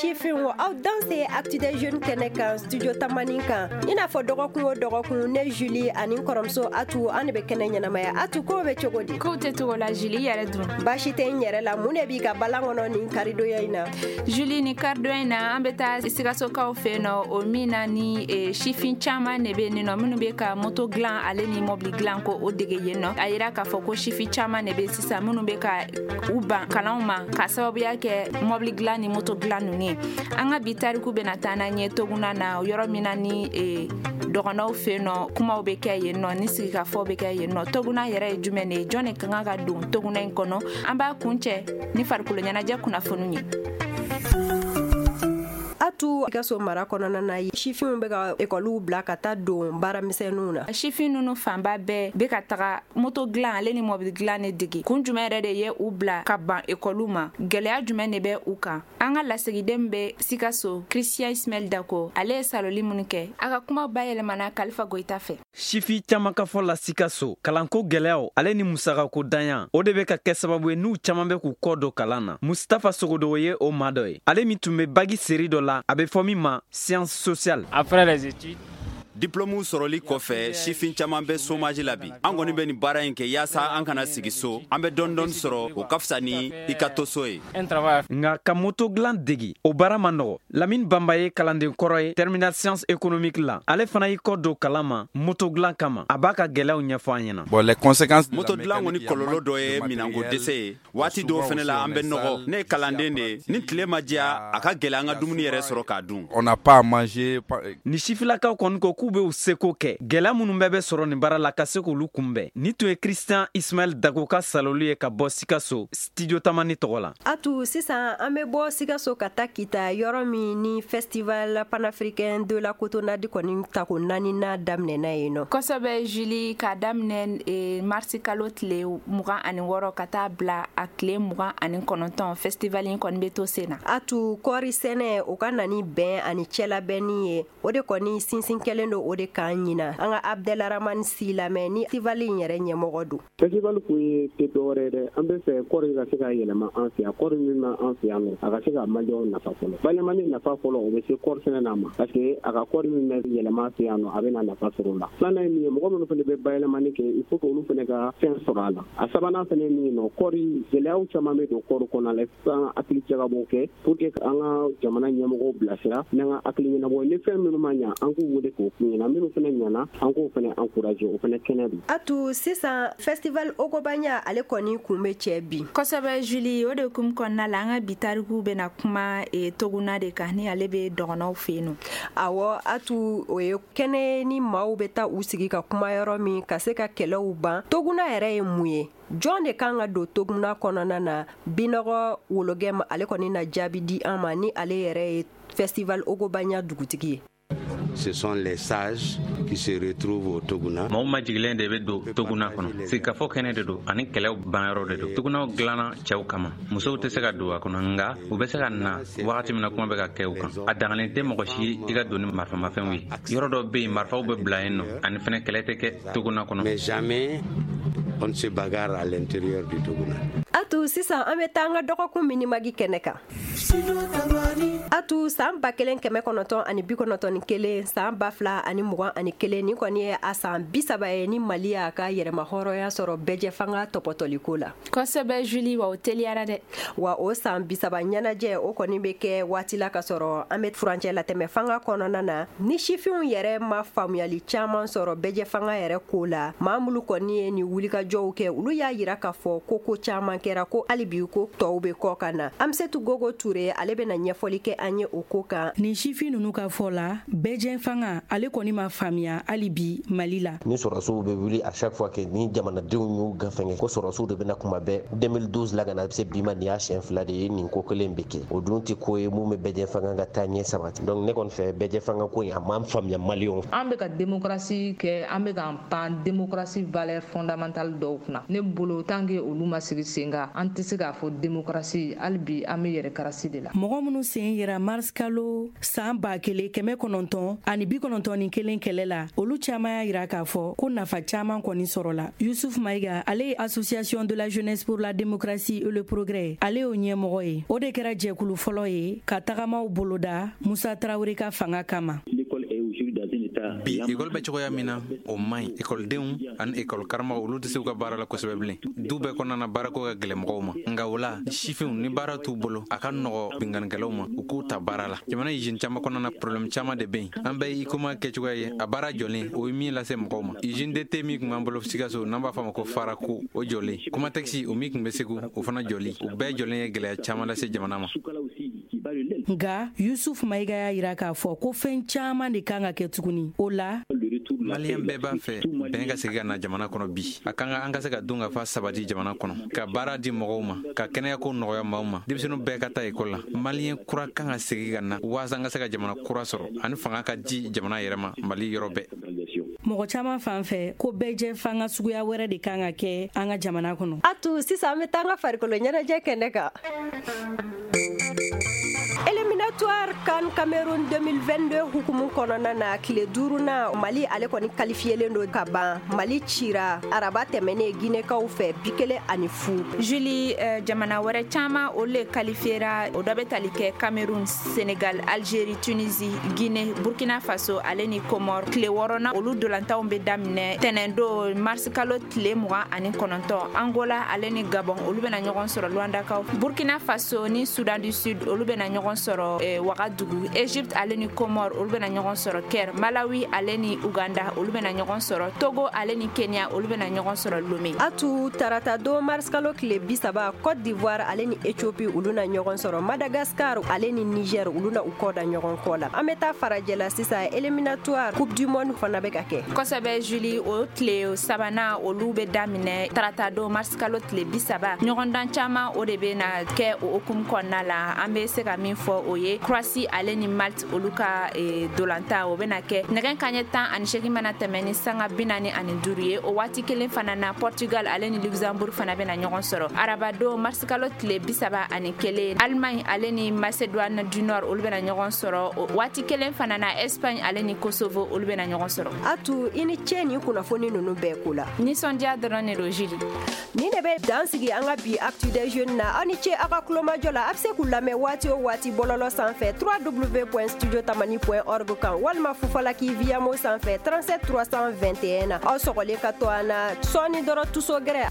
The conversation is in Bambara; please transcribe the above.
Sifinw, aw danse Actu des Jeunes kɛnɛ kan, Studio Tamani kan. I n'a fɔ dɔgɔkun o dɔgɔkun, ne Julie ani n kɔrɔmuso Atu, an de bɛ kɛnɛ ɲɛnamaya. Atu, kow bɛ cogo di? Kow tɛ cogo la, Julie, i yɛrɛ dun? Baasi tɛ n yɛrɛ la. Mun de b'i ka balan kɔnɔ nin karidonya in na? Julie, ni karidonya in na, an bɛ taa Sikasokaw fɛ yen nɔ, o min na ni sifin caman de bɛ yen nɔ minnu bɛ ka moto dilan ale ni mɔbili dilan ko o dege yen nɔ. A yira k'a fɔ ko sifin caman de bɛ sisan minnu bɛ ka u ban kalanw ma ka sababuya kɛ mɔbili dilan ni moto dilan ninnu ye. An ka bi tariku bɛna taa n'an ye Toguna na, yɔrɔ min na ni dɔgɔnɔw fɛ yen nɔ, kumaw bɛ kɛ yen nɔ ni sigikafɔ bɛ kɛ yen nɔ. Toguna yɛrɛ ye jumɛn de ye? Jɔn de ka kan ka don Toguna in kɔnɔ? An b'a kuncɛ ni farikolo ɲɛnajɛ kunnafoniw ye. Atu, Sikaso mara kɔnɔna na, sifinw bɛ ka ekɔliw bila ka taa don baaramisɛnninw na. Sifin ninnu fanba bɛɛ bɛ ka taga moto dilan ale ni mɔbili dilan de dege. Kun jumɛn yɛrɛ de ye u bila ka ban ekɔliw ma? Gɛlɛya jumɛn de bɛ u kan? An ka lasigiden bɛ Sikaso, Christian Ismaël Dako, ale ye saloli minnu kɛ, a ka kuma bayɛlɛmana Kalifa Goyita fɛ. Sifi caman ka fɔ la Sikaso, kalanko gɛlɛyaw ale ni musakako danya, o de bɛ ka kɛ sababu ye n'u caman bɛ k'u kɔ don kalan na. Mustafa Sogodogo ye o maa dɔ ye, ale min tun bɛ bac série dɔ la, a bɛ fɔ min ma science sociale. Après les études, Diplôme sɔrɔli kɔfɛ, sifin caman bɛ chômage la bi. An kɔni bɛ nin baara in kɛ yaasa an kana sigi so. An bɛ dɔɔni dɔɔni sɔrɔ, o ka fisa ni i ka to so ye. Un travail. Nka ka moto dilan degi, o baara man nɔgɔ. Lamine Banba ye kalanden kɔrɔ ye terminale science économique la. Ale fana y'i kɔ don kalan ma moto dilan kama. A b'a ka gɛlɛyaw ɲɛfɔ an ɲɛna. Bon, les conséquences. Moto dilan kɔni kɔlɔlɔ dɔ ye minɛnko dɛsɛ ye. Waati dɔw fɛnɛ la, an bɛ nɔgɔ. Ne ye kalanden de ye. Ni tile ma diya, a ka gɛlɛ an ka dumuni yɛrɛ sɔrɔ k'a dun. On n'a pas à manger. Ni sifilakaw kɔni ko k'u bɛ u seko kɛ gɛlɛya minnu bɛɛ bɛ sɔrɔ nin baara la ka se k'olu kunbɛn. Ni tun ye Christian Ismaël Dago ka saloli ye ka bɔ Sikaso, Studio Tamani tɔgɔ la. Atu, sisan an bɛ bɔ Sikaso ka taa Kita, yɔrɔ min ni Festival panafricain de la cotonnade kɔni tako naaninan daminɛna yen nɔ. Kosɛbɛ, Julie, k'a daminɛ marisi kalo tile 26 ka taa bila a tile 29, festival in kɔni bɛ to sen na. Atu, kɔɔri sɛnɛ, o ka na ni bɛn ani cɛlabɛnni ye, o de kɔni sinsin kɛlen don o de kan ɲina. An ka Abdelaramani Si lamɛn ni festival in yɛrɛ ɲɛmɔgɔ don. Festival kun ye tɛ dɔwɛrɛ ye dɛ, an bɛ fɛ kɔɔri ka se ka yɛlɛma an fɛ yan. Kɔɔri min b'an fɛ yan nɔ, a ka se ka maliyɛnw nafa fɔlɔ. Bayɛlɛmani nafa fɔlɔ, o bɛ se kɔɔri sɛnɛ na ma, parce que a ka kɔɔri min bɛ yɛlɛma an fɛ yan nɔ, a bɛ na nafa sɔrɔ o la. Filanan ye min ye, mɔgɔ minnu fana bɛ bayɛlɛmani kɛ, il faut que olu fana ka fɛn sɔrɔ a la. A sabanan fana ye min ye nɔ, kɔɔri gɛlɛyaw caman bɛ don kɔɔri kɔnɔna la. An hakili jagabɔ kɛ pour que an ka jamana ɲɛmɔgɔw bilasira n'an ka hakili ɲɛnabɔ. Ni fɛn minnu ma ɲa, an k'u wele k'o f'u ɲɛna. Minnu fana ɲana, an k'o fana encourager, o fana kɛnɛ don. Atu, sisan festival Ogobanya, ale kɔni kun bɛ cɛ bi. Kosɛbɛ, Julie, o de kun kɔnɔna la, an ka bi tariku bɛna kuma Toguna de kan, ni ale bɛ dɔgɔnɔw fɛ yen nɔ. Awɔ, Atu, o ye kɛnɛ ni maaw bɛ taa u sigi ka kuma yɔrɔ min ka se ka kɛlɛw ban. Toguna yɛrɛ ye mun ye? Jɔn de kan ka don Toguna kɔnɔna na? Binɔgɔ Wologɛm, ale kɔni na jaabi di an ma, ni ale yɛrɛ ye festival Ogobanya dugutigi ye. Ce sont les sages qui se retrouvent au Toguna. Mɔgɔw majigilen de bɛ don Toguna kɔnɔ. Sigikafɔ kɛnɛ de don ani kɛlɛw banyɔrɔ de don. Togunaw dilanna cɛw kama. Musow tɛ se ka don a kɔnɔ, nka u bɛ se ka na wagati min na kuma bɛ ka kɛ u kan. A dangalen tɛ mɔgɔ si i ka don ni marifamafɛnw ye. Yɔrɔ dɔ bɛ yen, marifaw bɛ bila yen nɔ, ani fɛnɛ kɛlɛ tɛ kɛ Toguna kɔnɔ. Mais jamais on ne se bagarre à l'intérieur du Toguna. Atu, sisan an bɛ taa an ka dɔgɔkun minimagi kɛnɛ kan. Atu, san 1991, san 2021, nin kɔni ye a san 30 ye ni Mali y'a ka yɛrɛma hɔrɔnya sɔrɔ bɛɛjɛ fanga tɔpɔtɔliko la. Kosɛbɛ, Julie, wa o teliyara dɛ. Wa o san 30 ɲɛnajɛ, o kɔni bɛ kɛ waati la ka sɔrɔ an bɛ furancɛ latɛmɛ fanga kɔnɔna na, ni sifinw yɛrɛ ma faamuyali caman sɔrɔ bɛɛjɛ fanga yɛrɛ ko la. Maa minnu kɔni ye nin wulikajɔw kɛ, olu y'a yira k'a fɔ ko ko caman kɛra, ko hali bi ko tɔw bɛ kɔ ka na. Amisetu Gogo Ture, ale bɛna ɲɛfɔli kɛ an ye o ko kan. Nin sifin ninnu ka fɔ la, bɛɛjɛ fanga, ale kɔni ma faamuya hali bi Mali la. Ni sɔrɔsiw bɛ wuli, à chaque fois que ni jamanadenw y'u gafɛngɛ ko sɔrɔsiw de bɛna kuma bɛɛ, 2012 la ka na se bi ma, nin y'a siɲɛ fila de ye nin ko kelen bɛ kɛ. O dun tɛ ko ye mun bɛ bɛɛjɛ fanga ka taa ɲɛ sabati. Donc ne kɔni fɛ, bɛɛjɛ fanga ko in, a ma faamuya maliyɛnw. An bɛ ka démocratie kɛ, an bɛ k'an pan démocratie valeur fondamentale dɔw kunna. Ne bolo, tant que olu ma sigi sen kan, an tɛ se k'a fɔ démocratie. Hali bi an bɛ yɛrɛ karasi de la. Mɔgɔ minnu sen yera kɛra mars kalo san 1991 kɛlɛ la, olu caman y'a yira k'a fɔ ko nafa caman kɔni sɔrɔla. Yusuf Mayiga, ale ye Association de la jeunesse pour la démocratie et le progrès, ale y'o ɲɛmɔgɔ ye. O de kɛra jɛkulu fɔlɔ ye ka tagamaw boloda Musa Tarawele ka fanga kama. Bi ekɔli bɛ cogoya min na, o man ɲi. Ekɔlidenw ani ekɔli karamɔgɔ, olu tɛ se u ka baara la kosɛbɛ bilen. Du bɛɛ kɔnɔna na, baarako ka gɛlɛn mɔgɔw ma. Nka o la, sifinw ni baara t'u bolo, a ka nɔgɔ binkannikɛlaw ma u k'u ta baara la. Jamana usine caman kɔnɔna na, problème caman de bɛ yen. An bɛɛ ye Huicoma kɛcogoya ye, a baara jɔlen, o ye min lase mɔgɔw ma. Usine de thé min tun b'an bolo Sikaso, n'an b'a fɔ a ma ko Farako, o jɔlen. Kumatɛkisi, o min tun bɛ Segu, o fana jɔli. O bɛɛ jɔlen ye gɛlɛya caman lase jamana ma. Nka Yusuf Mayiga y'a yira k'a fɔ ko fɛn caman de kan ka kɛ tuguni o la. Maliyɛn bɛɛ b'a fɛ bɛn ka segin ka na jamana kɔnɔ bi. A kan ka an ka se ka dun ka fa sabati jamana kɔnɔ, ka baara di mɔgɔw ma, ka kɛnɛyako nɔgɔya maaw ma, denmisɛnninw bɛɛ ka taa ekɔli la. Maliyɛn kura kan ka segin ka na waasa an ka se ka jamana kura sɔrɔ ani fanga ka di jamana yɛrɛ ma Mali yɔrɔ bɛɛ. Mɔgɔ caman fan fɛ ko bɛɛjɛ fanga suguya wɛrɛ de kan ka kɛ an ka jamana kɔnɔ. A tu, sisan an bɛ taa an ka farikolo ɲɛnajɛ kɛnɛ kan. Éliminatoire CAN Cameroun 2022 hukumu kɔnɔna na, tile duurunan, Mali ale kɔni qualifiélen don ka ban. Mali cira araba tɛmɛnen Guinɛkaw fɛ 1-0. Julie, jamana wɛrɛ caman, olu le qualifiera. O dɔ bɛ tali kɛ Cameroun, Sénégal, Algérie, Tunisie, Guinée, Burkina Faso ale ni Comore. Tile wɔɔrɔnan, olu dolantanw bɛ daminɛ tɛnɛn don, mars kalo tile 29. Angola ale ni Gabon, olu bɛna ɲɔgɔn sɔrɔ Luandakaw. Burkina Faso ni Soudan du Sud, olu bɛna ɲɔgɔn sɔrɔ Wagadugu. Egypte ale ni Comore, olu bɛna ɲɔgɔn sɔrɔ Caire. Malawi ale ni Uganda, olu bɛna ɲɔgɔn sɔrɔ. Togo ale ni Kenya, olu bɛna ɲɔgɔn sɔrɔ Lomé. Atu, tarata don, mars kalo tile 30, Côte d'Ivoire ale ni Éthiopie, olu na ɲɔgɔn sɔrɔ. Madagascar ale ni Niger, olu na u kɔ da ɲɔgɔn kɔ la. An bɛ taa farajɛla sisan, éliminatoire Coupe du monde fana bɛ ka kɛ. Kosɛbɛ Julie, o tile sabanan, olu bɛ daminɛ tarata don, mars kalo tile 30. Ɲɔgɔndan caman, o de bɛ na kɛ o hukumu kɔnɔna la. An bɛ se ka min fɔ, o ye Croatie ale ni Malte, olu ka dolanta, o bɛna kɛ nɛgɛ kaɲɛ 18 mana tɛmɛ ni sanga 45 ye. O waati kelen fana na, Portugal ale ni Luxembourg fana bɛna ɲɔgɔn sɔrɔ. Arabadon, mars kalo tile 31, Allemagne ale ni Macédoine du Nord, olu bɛna ɲɔgɔn sɔrɔ. O waati kelen fana na, Espagne ale ni Kosovo, olu bɛna ɲɔgɔn sɔrɔ. Atu, i ni ce nin kunnafoni ninnu bɛɛ ko la. Nisɔndiya dɔrɔn de don, Julie. Nin de bɛ dan sigi an ka bi Actu des jeunes na. Aw ni ce aw ka kulomajɔ la. A bɛ se k'u lamɛn waati o waati bɔlɔlɔ sanfɛ www.studiotamani.org kan, walima Fufalaki Viamo sanfɛ 37 321 na. Aw sɔgɔlen ka to an na sɔɔni dɔrɔn, tuso gɛrɛ.